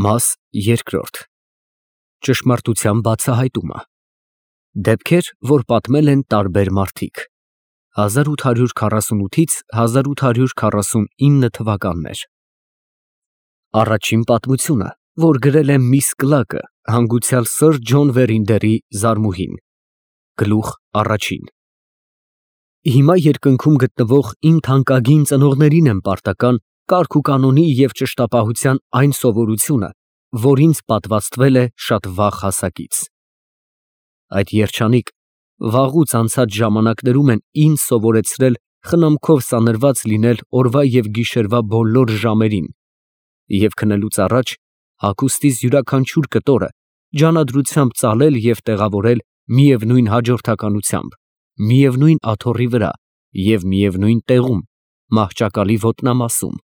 Մաս երկրորդ։ Ճշմարտության բացահայտումը։ Դեպքեր, որ պատմել են տարբեր մարդիկ։ 1848-ից 1849 թվականներ։ Առաջին պատմությունը, որ գրել է միս Կլակը, հանգուցյալ սըր Ջոն Վերինդերի զարմուհին։ Գլուխ առաջին։ Հիմա երկնքում գտնվող իմ թանկագին ծնողներին եմ պարտական կարգ ու կանոնի և ճշտապահության այն սովորությունը, որ ինձ պատվաստվել է շատ վաղ հասակից։ Այդ երջանիկ, վաղուց անցած ժամանակներում են ինձ սովորեցրել խնամքով սանրված լինել օրվա և գիշերվա բոլոր ժամերին և քնելուց առաջ հագուստիս յուրաքանչյուր կտորը ջանադրությամբ ծալել և տեղավորել միևնույն հաջորդականությամբ, միևնույն աթոռի վրա և միևնույն տեղում, մահճակալի ոտնամասում։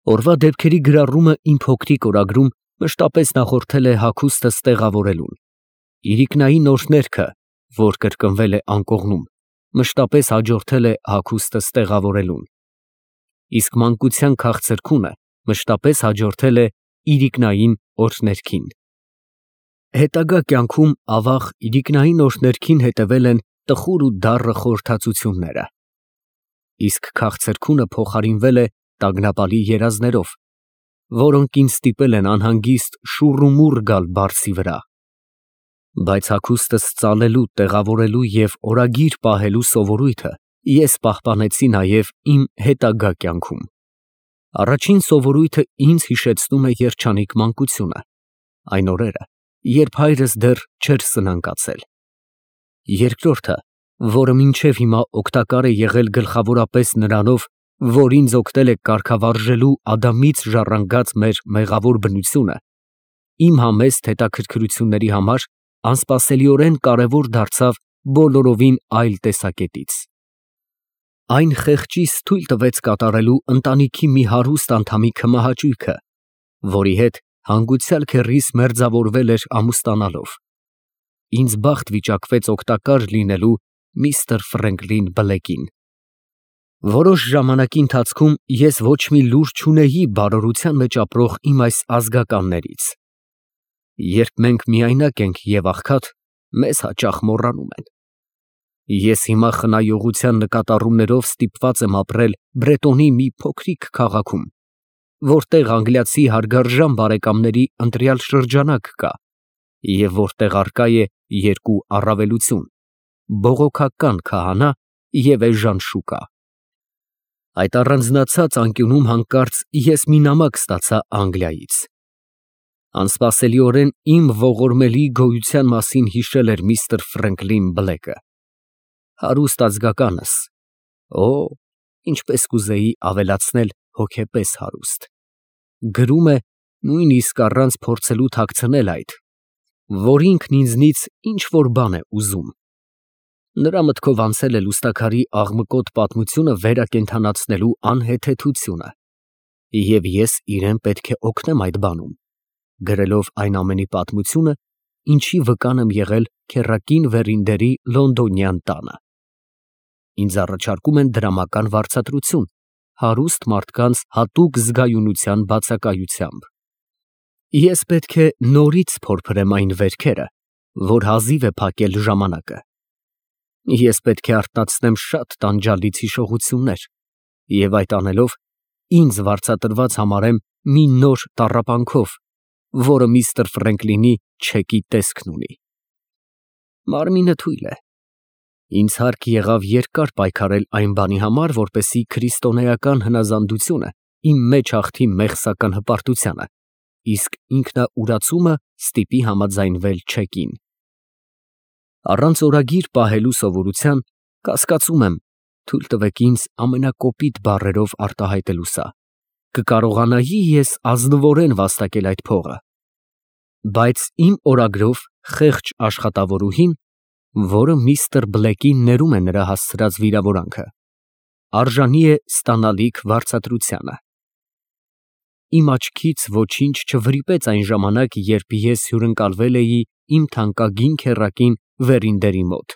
Օրվա դեպքերի գրառումը իմ փոքրիկ օրագրում մշտապես նախորդել է հագուստս տեղավորելուն։ Իրիկնային օրհներգը, որ կրկնվել է անկողնում, մշտապես հաջորդել է հագուստս տեղավորելուն։ Իսկ մանկության քաղցրքունը մշտապես հաջորդել է իրիկնային օրհներգին։ Հետագա կյանքում ավաղ իրիկնային օրհներգին հետևել են տխուր ու դառը խորհրդածությունները։ Իսկ քաղցրքունը փոխարինվել է տագնապալի երազներով, որոնք ինձ ստիպել են անհանգիստ շուռ ու մուռ գալ բարձի վրա։ Բայց հագուստս ծալելու, տեղավորելու և օրագիր պահելու սովորույթը ես պահպանեցի նաև իմ հետագա կյանքում։ Առաջին սովորույթը ինձ հիշեցնում է երջանիկ մանկությունը, այն օրերը, երբ հայրս դեռ չէր սնանկացել։ Երկրորդը, որը մինչև հիմա օգտակար է եղել գլխավորապես նրանով, որ ինձ օգնել է կարգավարժելու Ադամից ժառանգած մեր մեղավոր բնությունը, իմ համեստ հետաքրքրությունների համար անսպասելիորեն կարևոր դարձավ բոլորովին այլ տեսակետից։ Այն խեղճիս թույլ տվեց կատարելու ընտանիքի մի հարուստ անդամի քմահաճույքը, որի հետ հանգուցյալ քեռիս մերձավորվել էր ամուսնանալով։ Ինձ բախտ վիճակվեց օգտակար լինելու միստր Ֆրենկլին Բլեքին։ Որոշ ժամանակի ընթացքում ես ոչ մի լուր չունեի բարօրության մեջ ապրող իմ այս ազգականներից։ Երբ մենք միայնակ ենք և աղքատ, մեզ հաճախ մոռանում են։ Ես հիմա խնայողության նկատառումներով ստիպված եմ ապրել Բրետոնի մի փոքրիկ քաղաքում, որտեղ անգլիացի հարգարժան բարեկամների ընտրյալ շրջանակ կա և որտեղ առկա է երկու առավելություն՝ բողոքական քահանա և էժան շուկա։ Այդ առանձնացած անկյունում հանկարծ ես մի նամակ ստացա Անգլիայից։ Անսպասելիորեն իմ ողորմելի գոյության մասին հիշել էր միստր Ֆրենկլին Բլեքը։ Հարուստ ազգականս, օ, ինչպես կուզեի ավելացնել հոգեպես հարուստ։ Գրում է, նույնիսկ առանց փորձելու թաքցնել այդ, որ ինքն ինձնից ինչ֊որ բան է ուզում։ Նրա մտքով անցել է լուստաքարի աղմկոտ պատմությունը վերակենդանացնելու անհեթեթությունը, և ես իրան պետք է օգնեմ այդ բանում, գրելով այն ամենի պատմությունը, ինչի վկան եմ եղել քեռակին Վերինդերի լոնդոնյան տանը։ Ինձ առաջարկում են դրամական վարձատրություն հարուստ մարդկանց հատուկ զգայունության բացակայությամբ։ Ես պետք է նորից փորփրեմ այն վերքերը, որ հազիվ է փակել ժամանակը։ Ես պետք է արթնացնեմ շատ տանջալից հիշողություններ և այդ անելով ինձ վարձատրված համարեմ մի նոր տառապանքով, որը միստր Ֆրենկլինի չեկի տեսքն ունի։ Մարմինը թույլ է։ Ինձ հարկ եղավ երկար պայքարել այն բանի համար, որպեսզի քրիստոնեական հնազանդությունը իմ մեջ հաղթի մեղսական հպարտությանը, իսկ ինքնաուրացումը ստիպի համաձայնվել չեկին։ Առանց օրագիր պահելու սովորության կասկածում եմ, թույլ տվեք ինձ ամենակոպիտ բառերով արտահայտելու սա, կկարողանայի ես ազնվորեն վաստակել այդ փողը։ Բայց իմ օրագրով խեղճ աշխատավորուհին, որը միստր Բլեքին ներում է նրա հասցրած վիրավորանքը, արժանի է ստանալիք վարձատրությանը։ Իմ աչքից ոչինչ չվրիպեց այն ժամանակ, երբ ես հյուրընկալվել էի իմ թանկագին քեռակին Վերինդերի մոտ։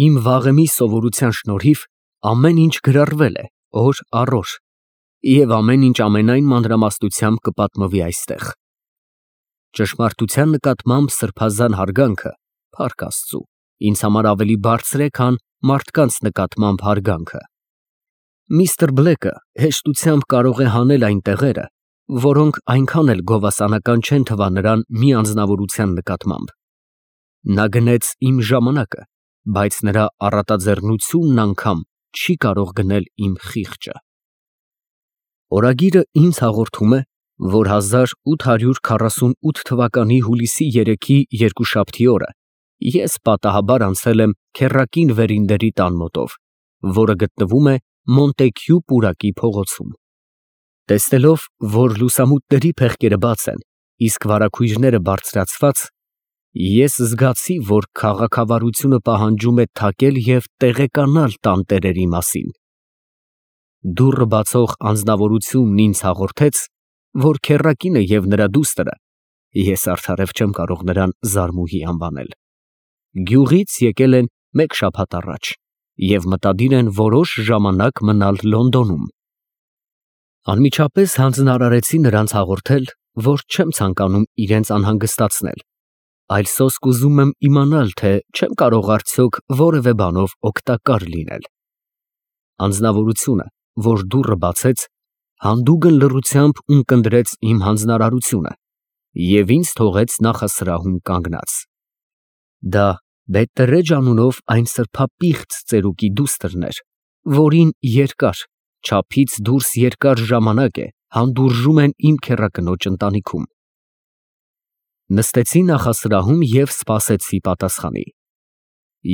Իմ վաղեմի սովորության շնորհիվ ամեն ինչ գրառվել է օր առ օր, Եվ ամեն ինչ ամենայն մանրամասնությամբ կպատմվի այստեղ։ Ճշմարտության նկատմամբ սրբազան հարգանքը, փառք Աստծու, ինձ համար ավելի բարձր է, քան մարդկանց նկատմամբ հարգանքը։ Միստր Բլեկը հեշտությամբ կարող է հանել այն տեղերը, որոնք այնքան էլ գովասանական չեն թվա նրան մի անձնավորության նկատմամբ։ Նա գնեց իմ ժամանակը, բայց նրա առատաձեռնությունն անգամ չի կարող գնել իմ խիղճը։ Օրագիրը ինձ հաղորդում է, որ 1848 թվականի հուլիսի 3-ի երկուշաբթի օրը ես պատահաբար անցել եմ Քեռակին Վերինդերի տան մոտով, որը գտնվում է Մոնտեքյու պուրակի փողոցում։ Տեսնելով, որ լուսամուտների փեղկերը բաց են, իսկ վարագույրները բարձրացված, ես զգացի, որ քաղաքավարությունը պահանջում է թակել և տեղեկանալ տանտերերի մասին։ Դուռը բացող անձնավորությունն ինձ հաղորդեց, որ քեռակինը և նրա դուստրը (ես արդարև չեմ կարող նրան Զարմուհի անվանել) գյուղից եկել են մեկ շաբաթ առաջ և մտադիր են որոշ ժամանակ մնալ Լոնդոնում։ Անմիջապես հանձնարարեցի նրանց հաղորդել, որ չեմ ցանկանում իրենց անհանգստացնել, այլ սոսկ ուզում եմ իմանալ, թե չեմ կարող արդյոք որևէ բանով օգտակար լինել։ Անձնավորությունը, որ դուռը բացեց, հանդուգն լռությամբ ունկնդրեց իմ հանձնարարությունը և ինձ թողեց նախասրահում կանգնած։ Դա Բետտերեջ անունով այն սրբապիղծ ծերուկի դուստրն էր, որին երկար, չափից դուրս երկար ժամանակ է հանդուրժում են իմ քեռակնոջ ընտանիքում։ Նստեցի նախասրահում և սպասեցի պատասխանի։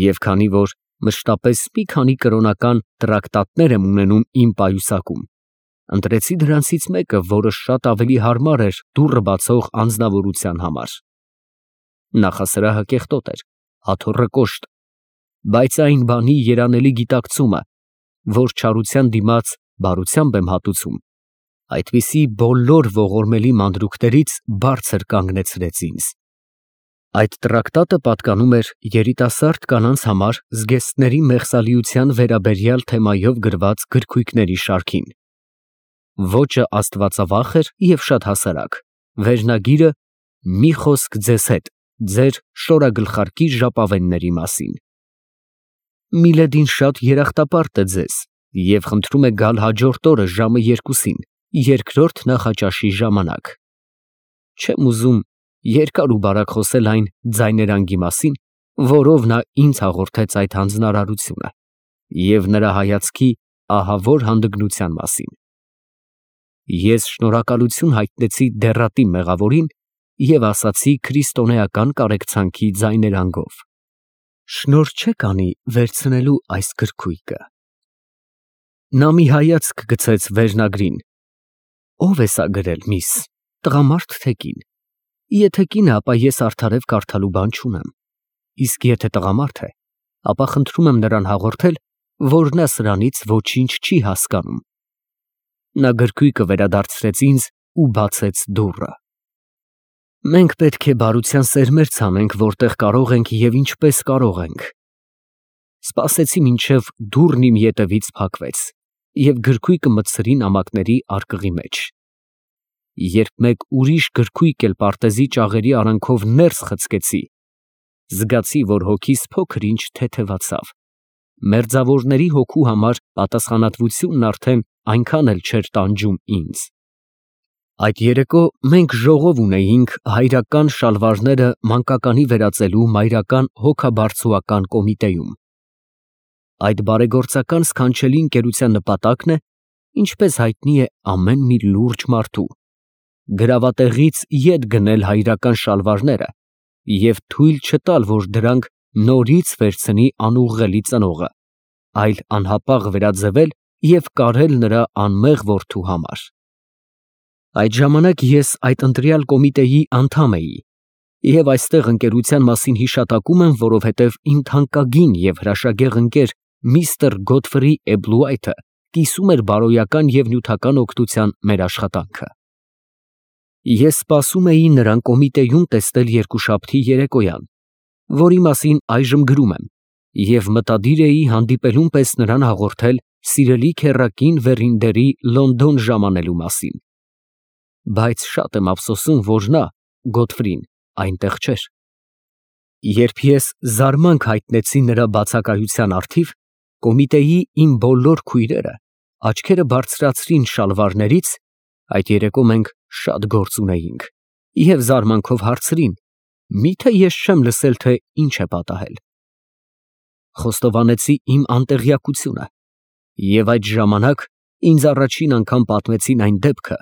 Եվ քանի որ մշտապես մի քանի կրոնական տրակտատներ եմ ունենում իմ պայուսակում, ընտրեցի դրանցից մեկը, որը շատ ավելի հարմար էր դուռը բացող անձնավորության համար։ Նախասրահը կեղտոտ էր, աթոռը կոշտ, բայց այն բանի երանելի գիտակցումը, որ չարության դիմաց բարությամբ եմ հատուցում, այդպիսի բոլոր ողորմելի մանրուքներից բարձր կանգնեցրեց ինձ։ Այդ տրակտատը պատկանում էր երիտասարդ կանանց համար զգեստների մեղսալիության վերաբերյալ թեմայով գրված գրքույկների շարքին։ Ոճը աստվածավախ էր և շատ հասարակ, վերնագիրը՝ «Մի խոսք ձեզ հետ, ձեր շորագլխարկի ժապավենների մասին»։ Միլեդին շատ երախտապարտ է ձեզ և խնդրում է գալ հաջորդ օրը ժամը 2-ին, երկրորդ նախաճաշի ժամանակ։ Չեմ ուզում երկար ու բարակ խոսել այն ձայներանգի մասին, որով նա ինձ հաղորդեց այդ հանձնարարությունը, և նրա հայացքի ահավոր հանդգնության մասին։ Ես շնորհակալություն հայտնեցի դեռատի մեղավորին և ասացի քրիստոնեական կարեկցանքի ձայներանգով. «Շնորհ չե՞ք անի վերցնելու այս գրքույկը»։ Նա մի հայացք գցեց վերնագրին։ «Ո՞վ է սա գրել, միս, տղամարդ թե կին։ Եթե կին է, ապա ես արդարև կարդալու բան չունեմ, իսկ եթե տղամարդ է, ապա խնդրում եմ նրան հաղորդել, որ նա սրանից ոչինչ չի հասկանում»։ Նա գրքույկը վերադարձրեց ինձ ու բացեց դուռը։ Մենք պետք է բարության սերմեր ցանենք, որտեղ կարող ենք և ինչպես կարող ենք։ Սպասեցի մինչև դուռն իմ ետևից փակվեց և գրքույկը մտցրի նամակների արկղի մեջ։ Երբ մեկ ուրիշ գրքույկ էլ պարտեզի ճաղերի արանքով ներս խցկեցի, զգացի, որ հոգիս փոքր ինչ թեթևացավ։ Մերձավորների հոգու համար պատասխանատվությունն արդեն այնքան էլ չէր տանջում ինձ։ Այդ երեկո մենք ժողով ունեինք հայրական շալվարները մանկականի վերածելու մայրական հոգաբարձուական կոմիտեում։ Այդ բարեգործական սքանչելի ընկերության նպատակն է, ինչպես հայտնի է ամեն մի լուրջ մարդու, գրավատեղից ետ գնել հայրական շալվարները և թույլ չտալ, որ դրանք նորից վերցնի անուղղելի ծնողը, այլ անհապաղ վերաձևել և կարել նրա անմեղ որդու համար։ Այդ ժամանակ ես այդ ընտրյալ կոմիտեի անդամ էի և այստեղ ընկերության մասին հիշատակում եմ, որովհետև իմ թանկագին և հրաշագեղ ընկեր միստր Գոթֆրի Էբլուայթը կիսում էր բարոյական և նյութական օգնության մեր աշխատանքը։ Ես սպասում էի նրան կոմիտեում տեսնել երկուշաբթի երեկոյան, որի մասին այժմ գրում եմ, և մտադիր էի հանդիպելուն պես նրան հաղորդել, սիրելի քեռակին Վերինդերի Լոնդոն ժամանելու մասին։ Բայց շատ եմ ափսոսում, որ նա, Գոթֆրին, այնտեղ չէր։ Երբ ես զարմանք հայտնեցի նրա բացակայության առթիվ, կոմիտեի իմ բոլոր քույրերը աչքերը բարձրացրին շալվարներից (այդ երեկո մենք շատ գործ ունեինք) և զարմանքով հարցրին. միթե ես չեմ լսել, թե ինչ է պատահել։ Խոստովանեցի իմ անտեղյակությունը, և այդ ժամանակ ինձ առաջին անգամ պատմեցին այն դեպքը,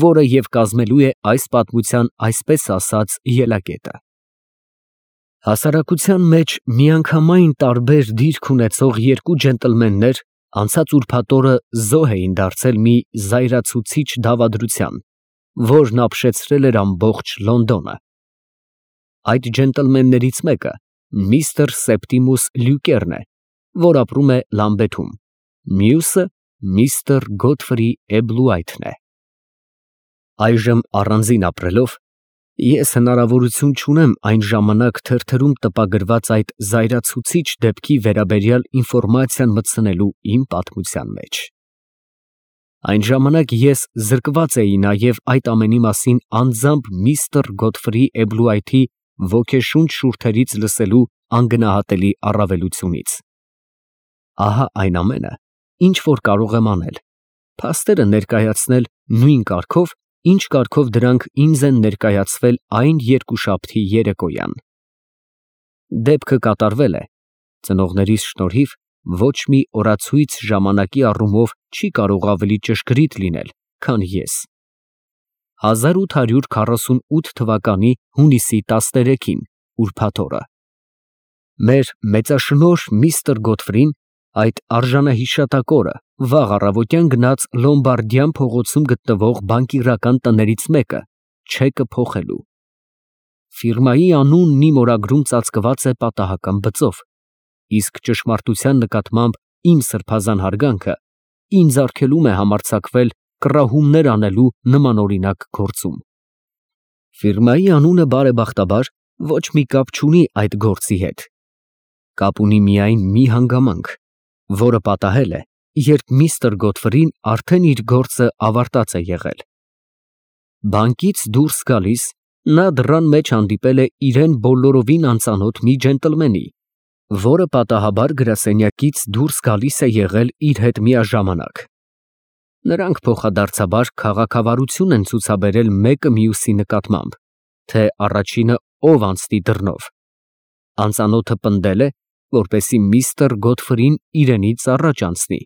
որը և կազմելու է այս պատմության այսպես ասած ելակետը։ Հասարակության մեջ միանգամայն տարբեր դիրք ունեցող երկու ջենտլմեններ անցած ուրբաթ օրը զոհ էին դարձել մի զայրացուցիչ դավադրության, որն ապշեցրել էր ամբողջ Լոնդոնը։ Այդ ջենտլմեններից մեկը միստր Սեպտիմուս Լյուկերն է, որ ապրում է Լամբեթում, մյուսը միստր Գոթֆրի Էբլուայթն է։ Այժմ առանձին ապրելով, ես հնարավորություն չունեմ այն ժամանակ թերթերում տպագրված այդ զայրացուցիչ դեպքի վերաբերյալ ինֆորմացիան մտցնելու իմ պատմության մեջ։ Այն ժամանակ ես զրկված էի նաև այդ ամենի մասին անձամբ միստր Գոթֆրի Էբլուայթի ոգեշունչ շուրթերից լսելու անգնահատելի առավելությունից։ Ահա այն ամենը, ինչ որ կարող եմ անել, փաստերը ներկայացնել նույն կարգով, ինչ կարգով դրանք ինձ են ներկայացվել այն երկուշաբթի երեկոյան։ Դեպքը կատարվել է, ծնողներիս շնորհիվ, ոչ մի օրացույց ժամանակի առումով չի կարող ավելի ճշգրիտ լինել, քան ես։ 1848 թվականի հունիսի 13-ին, ուրբաթ օրը։ Մեր մեծաշնորհ միստր Գոթֆրին այդ արժանահիշատակ օրը վաղ առավոտյան գնաց Լոմբարդյան փողոցում գտնվող բանկիրական տներից մեկը չեկը փոխելու։ Ֆիրմայի անունն իմ օրագրում ծածկված է պատահական բծով, իսկ ճշմարտության նկատմամբ իմ սրբազան հարգանքը ինձ արգելում է համարձակվել կռահումներ անելու նմանօրինակ գործում։ Ֆիրմայի անունը բարեբախտաբար ոչ մի կապ չունի այդ գործի հետ։ Կապ ունի միայն մի հանգամանք, որը պատահել է, երբ միստր Գոթֆրին արդեն իր գործը ավարտած է եղել։ Բանկից դուրս գալիս, նա դռան մեջ հանդիպել է իրան բոլորովին անծանոթ մի ջենտլմենի, որը պատահաբար գրասենյակից դուրս գալիս է եղել իր հետ միաժամանակ։ Նրանք փոխադարձաբար քաղաքավարություն են ցուցաբերել մեկը մյուսի նկատմամբ, թե առաջինը ով անցնի դռնով։ Անծանոթը պնդել է, որպեսզի միստր Գոթֆրին իրենից առաջ անցնի։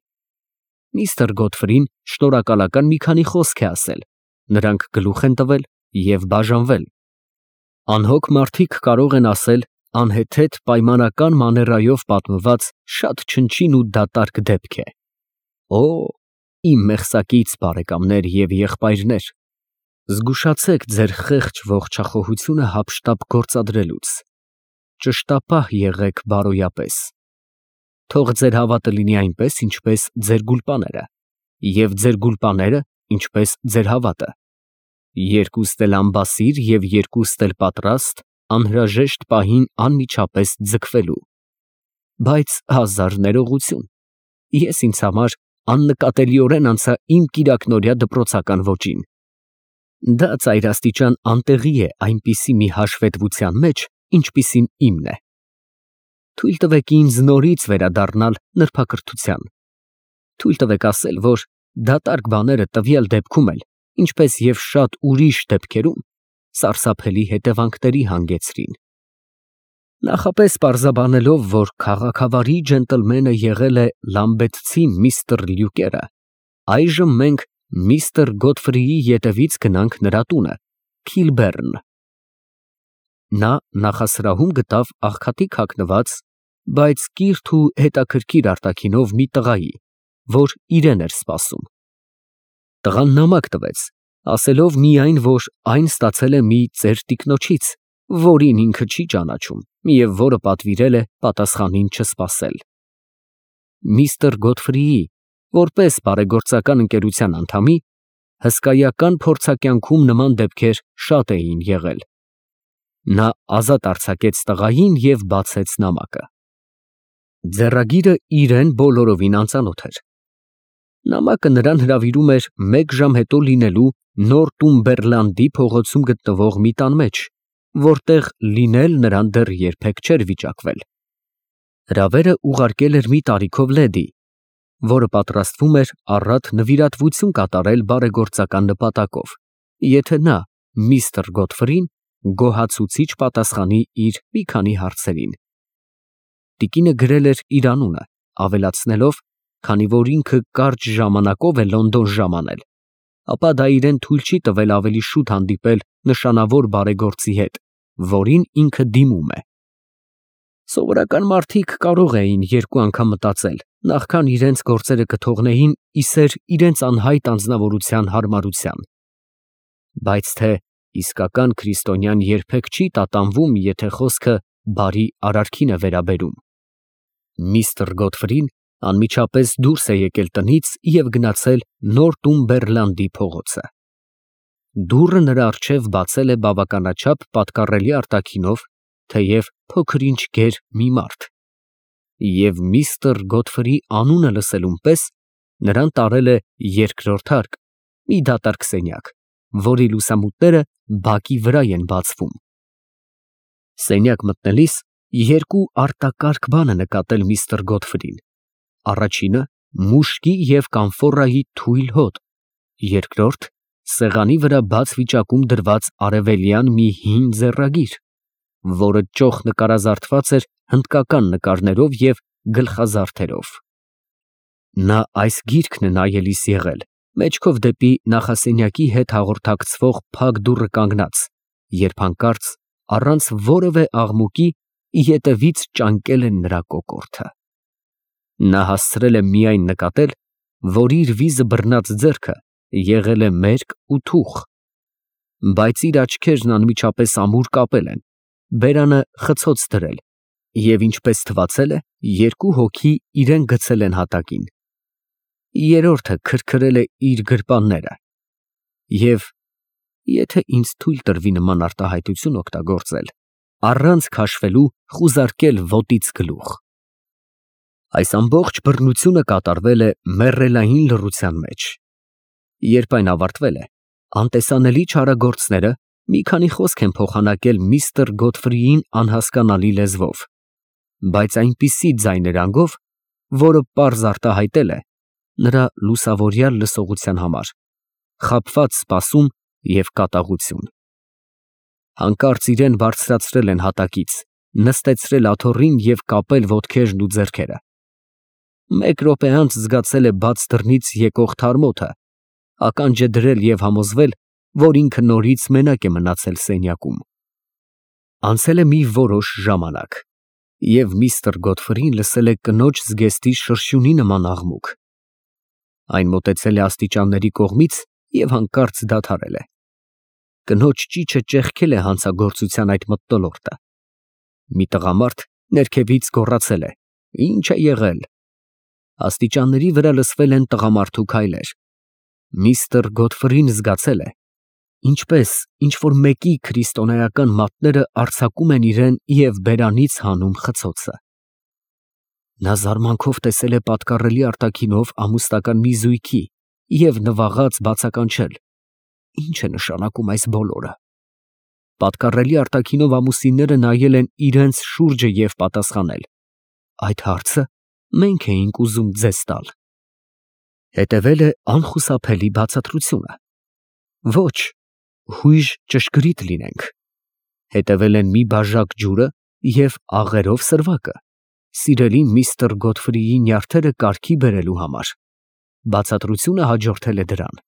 Միստր Գոթֆրին շնորհակալական մի քանի խոսք է ասել, նրանք գլուխ են տվել և բաժանվել։ Անհոգ մարդիկ կարող են ասել անհեթեթ պայմանական մաներայով պատմված շատ չնչին ու դատարկ դեպք է։ Օ, իմ մեղսակից բարեկամներ և եղբայրներ, զգուշացեք ձեր խեղճ ողջախոհությունը հափշտապ գործադրելուց, ճշտապահ եղեք բարոյապես։ Թող ձեր հավատը լինի այնպես, ինչպես ձեր գուլպաները, և ձեր գուլպաները, ինչպես ձեր հավատը։ Երկուստ էլ անբասիր և երկուստ էլ պատրաստ անհրաժեշտ պահին անմիջապես ձգվելու։ Բայց հազար ներողություն, ես ինձ համար աննկատելիորեն անցա իմ կիրակնօրյա դպրոցական ոճին։ Դա ծայրաստիճան անտեղի է այնպիսի մի հաշվետվության մեջ, ինչպիսին իմն է։ Թույլ տվեք ինձ նորից վերադառնալ նրբակրթության։ Թույլ տվեք ասել, որ դատարկ բաները տվյալ դեպքում էլ, ինչպես և շատ ուրիշ դեպքերում, սարսափելի հետևանքների հանգեցրին։ Նախապես պարզաբանելով, որ քաղաքավարի ջենտլմենը եղել է լամբեթցի միստր Լյուկերը, այժմ մենք միստր Գոթֆրիի ետևից գնանք նրա տունը, Քիլբեռն։ Նա նախասրահում գտավ աղքատիկ հագնված, բայց կիրթ ու հետաքրքիր արտաքինով մի տղայի, որ իրեն էր սպասում։ Տղան նամակ տվեց, ասելով միայն, որ այն ստացել է մի ծեր տիկնոջից, որին ինքը չի ճանաչում և որը պատվիրել է պատասխանին չսպասել։ Միստր Գոթֆրիի, որպես բարեգործական ընկերության անդամի, հսկայական փորձակյանքում նման դեպքեր շատ էին եղել։ Նա ազատ արձակեց տղային և բացեց նամակը։ Ձեռագիրը իրեն բոլորովին անծանոթ էր, Նամակը նրան հրավիրում էր 1 ժամ հետո լինելու Նորտումբերլանդի փողոցում գտնվող մի տան մեջ, որտեղ լինել նրան դեռ երբեք չէր վիճակվել։ Հրավերը ուղարկել էր մի տարիքով լեդի, որը պատրաստվում էր առատ նվիրատվություն կատարել բարեգործական նպատակով, եթե նա, միստր Գոթֆրին, գոհացուցիչ պատասխանի իր մի քանի հարցերին։ Տիկինը գրել էր իր անունը, ավելացնելով, քանի որ ինքը կարճ ժամանակով է Լոնդոն ժամանել, ապա դա իրեն թույլ չի տվել ավելի շուտ հանդիպել նշանավոր բարեգործի հետ, որին ինքը դիմում է։ Սովորական մարդիկ կարող էին 2 անգամ մտածել, նախքան իրենց գործերը կթողնեին իսեր իրենց անհայտ անձնավորության հարմարության։ Բայց թե իսկական քրիստոնյան երբեք չի տատանվում, եթե խոսքը բարի արարքին է վերաբերում։ Միստր Գոթֆրին անմիջապես դուրս է եկել տնից և գնացել Նորտումբերլանդի փողոցը։ Դուռը նրա առջև բացել է բավականաչափ պատկառելի արտաքինով, թեև փոքր-ինչ գեր մի մարդ, և միստր Գոթֆրի անունը լսելուն պես նրան տարել է 2-րդ հարկ, մի դատարկ սենյակ, որի լուսամուտները բակի վրա են բացվում։ Սենյակ մտնելիս 2 արտակարգ բան է նկատել միստր Գոթֆրին. առաջինը մուշկի և կամֆորայի թույլ հոտ, երկրորդ սեղանի վրա բաց վիճակում դրված արևելյան մի հին ձեռագիր, որը ճոխ նկարազարդված էր հնդկական նկարներով և գլխազարդերով։ Նա այս գիրքն է նայելիս եղել, մեջքով դեպի նախասենյակի հետ հաղորդակցվող փակ դուռը կանգնած, երբ հանկարծ առանց որևէ աղմուկի ետևից ճանկել են նրա կոկորդը։ Նա հասցրել է միայն նկատել, որ իր վիզը բռնած ձեռքը եղել է մերկ ու թուխ, բայց իր աչքերն անմիջապես ամուր կապել են, բերանը խցոց դրել, և ինչպես թվացել է, 2 հոգի իրան գցել են հատակին։ Երրորդը քրքրել է իր գրպանները և, եթե ինձ թույլ տրվի նման արտահայտություն օգտագործել, առանց քաշվելու խուզարկել ոտից գլուխ։ Այս ամբողջ բռնությունը կատարվել է մեռելային լռության մեջ։ Երբ այն ավարտվել է, անտեսանելի չարագործները մի քանի խոսք են փոխանակել միստր Գոթֆրիին անհասկանալի լեզվով, բայց այնպիսի ձայներանգով, որը պարզ արտահայտել է նրա լուսավորյալ լսողության համար խաբված սպասում և կատաղություն։ Հանկարծ իրան բարձրացրել են հատակից, նստեցրել աթոռին և կապել ոտքերն ու ձեռքերը։ 1 րոպե անց զգացել է բաց դռնից եկող թարմոթը, ականջ է դրել և համոզվել, որ ինքը նորից մենակ է մնացել սենյակում։ Անցել է մի որոշ ժամանակ, և միստր Գոթֆրին լսել է կնոջ զգեստի շրշյունի նման աղմուկ։ Այն մոտեցել է աստիճանների կողմից և հանկարծ դադարել է։ Կնոջ ճիչը ճեղքել է հանցագործության այդ մթնոլորտը։ Մի տղամարդ ներքևից գոռացել է. «Ի՞նչ է եղել»։ Աստիճանների վրա լսվել են տղամարդու քայլեր։ Միստր Գոթֆրին զգացել է, ինչպես ինչ֊որ մեկի քրիստոնեական մատները արձակում են իրան և բերանից հանում խցոցը։ Նա զարմանքով տեսել է պատկառելի արտաքինով ամուսնական մի զույգի և նվաղած բացականչել. ի՞նչ է նշանակում այս բոլորը։ Պատկառելի արտաքինով ամուսինները նայել են իրենց շուրջը և պատասխանել. այդ հարցը մենք էինք ուզում ձեզ տալ։ Հետևել է անխուսափելի բացատրությունը. ոչ, հույժ ճշգրիտ լինենք։ Հետևել են մի բաժակ ջուրը և աղերով սրվակը, սիրելի միստր Գոթֆրիի նյարդերը կարգի բերելու համար։ Բացատրությունը հաջորդել է դրան։